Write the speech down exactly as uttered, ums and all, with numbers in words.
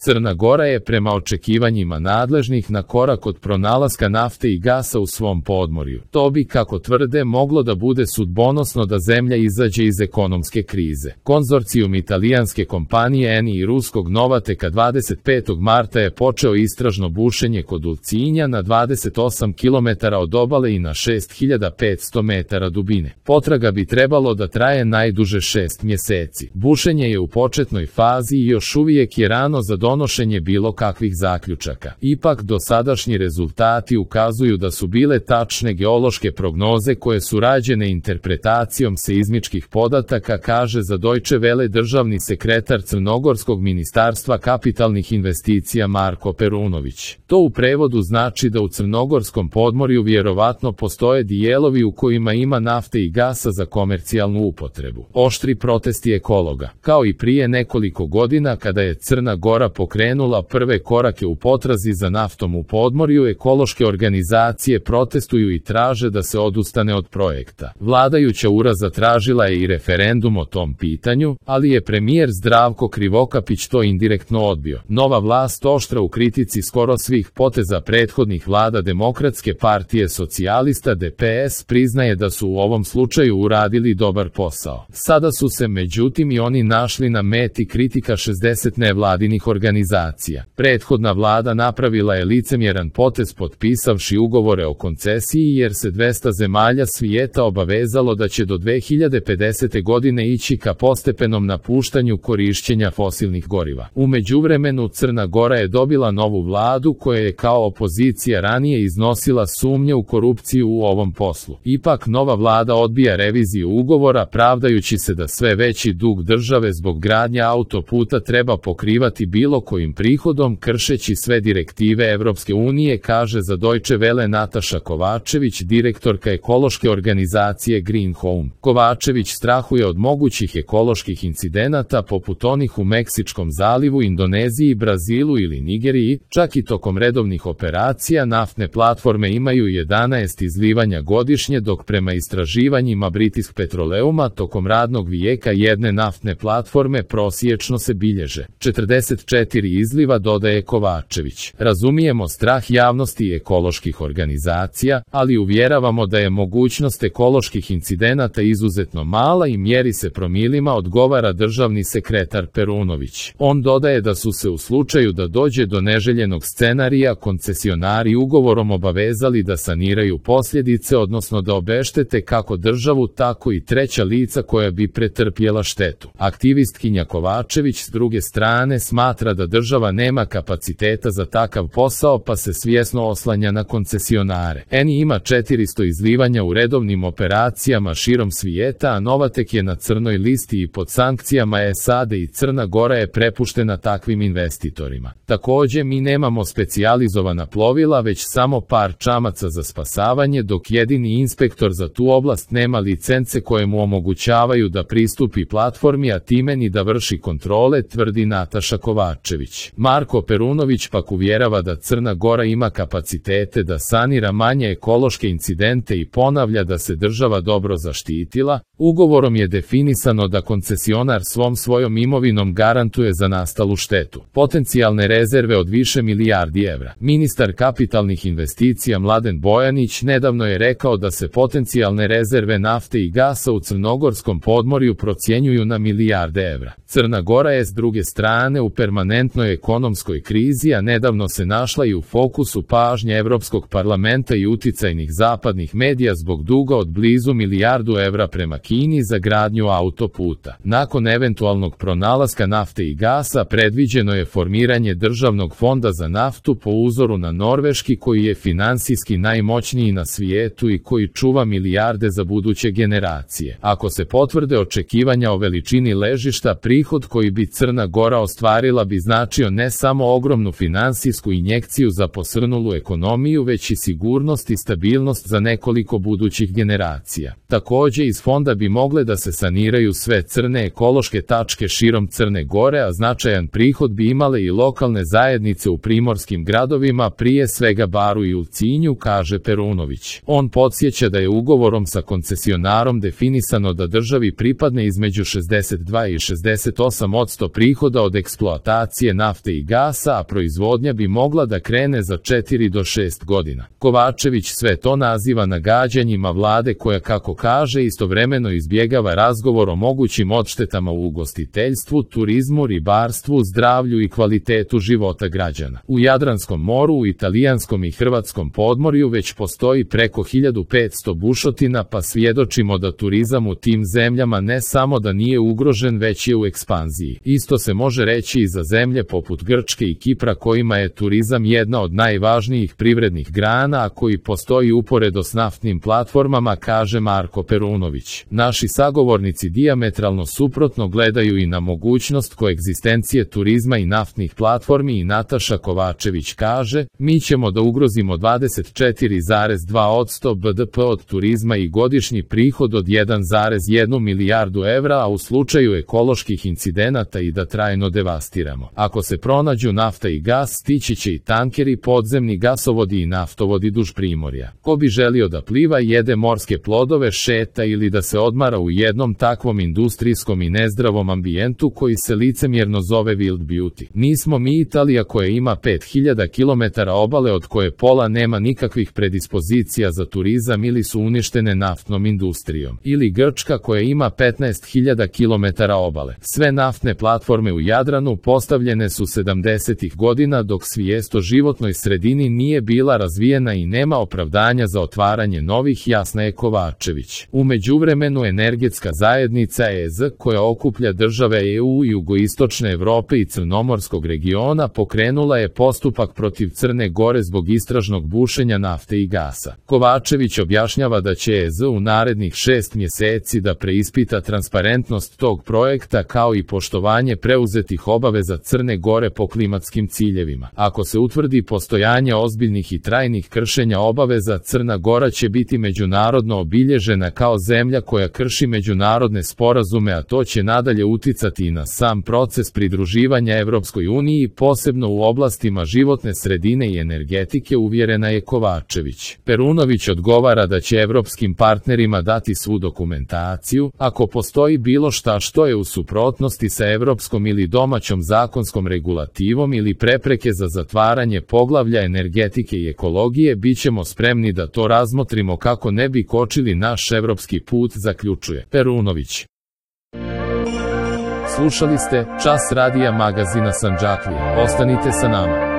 Crna Gora je prema očekivanjima nadležnih na korak od pronalaska nafte i gasa u svom podmorju. To bi, kako tvrde, moglo da bude sudbonosno da zemlja izađe iz ekonomske krize. Konzorcijum italijanske kompanije Eni i ruskog Novateka dvadeset petog marta je počeo istražno bušenje kod Ulcinja na dvadeset osam kilometara od obale i na šest hiljada petsto metara dubine. Potraga bi trebalo da traje najduže šest mjeseci. Bušenje je u početnoj fazi i još uvijek je rano za donošenje bilo kakvih zaključaka. Ipak dosadašnji rezultati ukazuju da su bile tačne geološke prognoze koje su rađene interpretacijom seizmičkih podataka, kaže za Deutsche Welle državni sekretar Crnogorskog ministarstva kapitalnih investicija Marko Perunović. To u prevodu znači da u crnogorskom podmorju vjerovatno postoje dijelovi u kojima ima nafte i gasa za komercijalnu upotrebu. Oštri protesti ekologa. Kao i prije nekoliko godina kada je Crna Gora pokrenula prve korake u potrazi za naftom u podmorju, ekološke organizacije protestuju i traže da se odustane od projekta. Vladajuća ura zatražila je i referendum o tom pitanju, ali je premijer Zdravko Krivokapić to indirektno odbio. Nova vlast oštra u kritici skoro svih poteza prethodnih vlada Demokratske partije socijalista D P S priznaje da su u ovom slučaju uradili dobar posao. Sada su se međutim i oni našli na meti kritika šezdeset nevladinih organizacija. Prethodna vlada napravila je licemjeran potez potpisavši ugovore o koncesiji jer se dvesta zemalja svijeta obavezalo da će do dve hiljade pedesete godine ići ka postepenom napuštanju korišćenja fosilnih goriva. U međuvremenu Crna Gora je dobila novu vladu koja je kao opozicija ranije iznosila sumnje u korupciju u ovom poslu. Ipak nova vlada odbija reviziju ugovora pravdajući se da sve veći dug države zbog gradnje autoputa treba pokrivati bilo kojim prihodom kršeći sve direktive Evropske unije, kaže za Deutsche Welle Nataša Kovačević, direktorka ekološke organizacije Green Home. Kovačević strahuje od mogućih ekoloških incidenata poput onih u Meksičkom zalivu, Indoneziji, Brazilu ili Nigeriji. Čak i tokom redovnih operacija naftne platforme imaju jedanaest izlivanja godišnje, dok prema istraživanjima British Petroleuma tokom radnog vijeka jedne naftne platforme prosječno se bilježe četrdeset četiri izliva, dodaje Kovačević. Razumijemo strah javnosti i ekoloških organizacija, ali uvjeravamo da je mogućnost ekoloških incidenata izuzetno mala i mjeri se promilima, odgovara državni sekretar Perunović. On dodaje da su se u slučaju da dođe do neželjenog scenarija koncesionari ugovorom obavezali da saniraju posljedice, odnosno da obeštete kako državu tako i treća lica koja bi pretrpjela štetu. Aktivistkinja Kovačević s druge strane smatra da država nema kapaciteta za takav posao pa se svjesno oslanja na koncesionare. Eni ima četiristo izlivanja u redovnim operacijama širom svijeta, a Novatek je na crnoj listi i pod sankcijama S A D i Crna Gora je prepuštena takvim investitorima. Također mi nemamo specijalizovana plovila već samo par čamaca za spasavanje, dok jedini inspektor za tu oblast nema licence koje mu omogućavaju da pristupi platformi, a time ni da vrši kontrole, tvrdi Nataša Kovačević. Marko Perunović pak uvjerava da Crna Gora ima kapacitete da sanira manje ekološke incidente i ponavlja da se država dobro zaštitila. Ugovorom je definisano da koncesionar svom svojom imovinom garantuje za nastalu štetu. Potencijalne rezerve od više milijardi evra. Ministar kapitalnih investicija Mladen Bojanić nedavno je rekao da se potencijalne rezerve nafte i gasa u crnogorskom podmorju procjenjuju na milijarde evra. Crna Gora je s druge strane u permanentnoj ekonomskoj krizi, a nedavno se našla i u fokusu pažnje Europskog parlamenta i uticajnih zapadnih medija zbog duga od blizu milijardu evra prema Kini za gradnju autoputa. Nakon eventualnog pronalaska nafte i gasa predviđeno je formiranje državnog fonda za naftu po uzoru na norveški, koji je finansijski najmoćniji na svijetu i koji čuva milijarde za buduće generacije. Ako se potvrde očekivanja o veličini ležišta, prihod koji bi Crna Gora ostvarila bi značio ne samo ogromnu finansijsku injekciju za posrnulu ekonomiju, već i sigurnost i stabilnost za nekoliko budućih generacija. Također iz fonda bi mogle da se saniraju sve crne ekološke tačke širom Crne Gore, a značajan prihod bi imale i lokalne zajednice u primorskim gradovima, prije svega Baru i Ulcinju, kaže Perunović. On podsjeća da je ugovorom sa koncesionarom definisano da državi pripadne između šezdeset dva i šezdeset osam posto prihoda od eksploatacije eksploatacije nafte i gasa, a proizvodnja bi mogla da krene za četiri do šest godina. Kovačević sve to naziva nagađanjima vlade koja, kako kaže, istovremeno izbjegava razgovor o mogućim odštetama u ugostiteljstvu, turizmu, ribarstvu, zdravlju i kvalitetu života građana. U Jadranskom moru, u italijanskom i hrvatskom podmorju već postoji preko hiljadu petsto bušotina, pa svjedočimo da turizam u tim zemljama ne samo da nije ugrožen, već je u ekspanziji. Isto se može reći i za zemlje poput Grčke i Kipra, kojima je turizam jedna od najvažnijih privrednih grana, a koji postoji uporedo s naftnim platformama, kaže Marko Perunović. Naši sagovornici dijametralno suprotno gledaju i na mogućnost koegzistencije turizma i naftnih platformi i Nataša Kovačević kaže: mi ćemo da ugrozimo dvadeset četiri zarez dva posto B D P od turizma i godišnji prihod od jedan zarez jednu milijardu evra, a u slučaju ekoloških incidenata i da trajno devastiramo. Ako se pronađu nafta i gas, stići će i tankeri, podzemni gasovodi i naftovodi duž primorja. Ko bi želio da pliva, jede morske plodove, šeta ili da se odmara u jednom takvom industrijskom i nezdravom ambijentu koji se licemjerno zove wild beauty? Nismo mi Italija koja ima pet hiljada kilometara obale od koje pola nema nikakvih predispozicija za turizam ili su uništene naftnom industrijom. Ili Grčka koja ima petnaest hiljada kilometara obale. Sve naftne platforme u Jadranu postavljene su sedamdesetih godina dok svijest o životnoj sredini nije bila razvijena i nema opravdanja za otvaranje novih, jasna je Kovačević. U međuvremenu energetska zajednica E Z koja okuplja države E U, jugoistočne Evrope i Crnomorskog regiona pokrenula je postupak protiv Crne Gore zbog istražnog bušenja nafte i gasa. Kovačević objašnjava da će E Z u narednih šest mjeseci da preispita transparentnost tog projekta kao i poštovanje preuzetih obaveza Crne Gore po klimatskim ciljevima. Ako se utvrdi postojanje ozbiljnih i trajnih kršenja obaveza, Crna Gora će biti međunarodno obilježena kao zemlja koja krši međunarodne sporazume, a to će nadalje uticati i na sam proces pridruživanja Evropskoj uniji, posebno u oblastima životne sredine i energetike, uvjerena je Kovačević. Perunović odgovara da će evropskim partnerima dati svu dokumentaciju, ako postoji bilo šta što je u suprotnosti sa evropskom ili domaćom zakonskom regulativom ili prepreke za zatvaranje poglavlja energetike i ekologije, bit ćemo spremni da to razmotrimo kako ne bi kočili naš evropski put, zaključuje Perunović. Slušali ste Čas radija magazina Sandžaklija. Ostanite sa nama.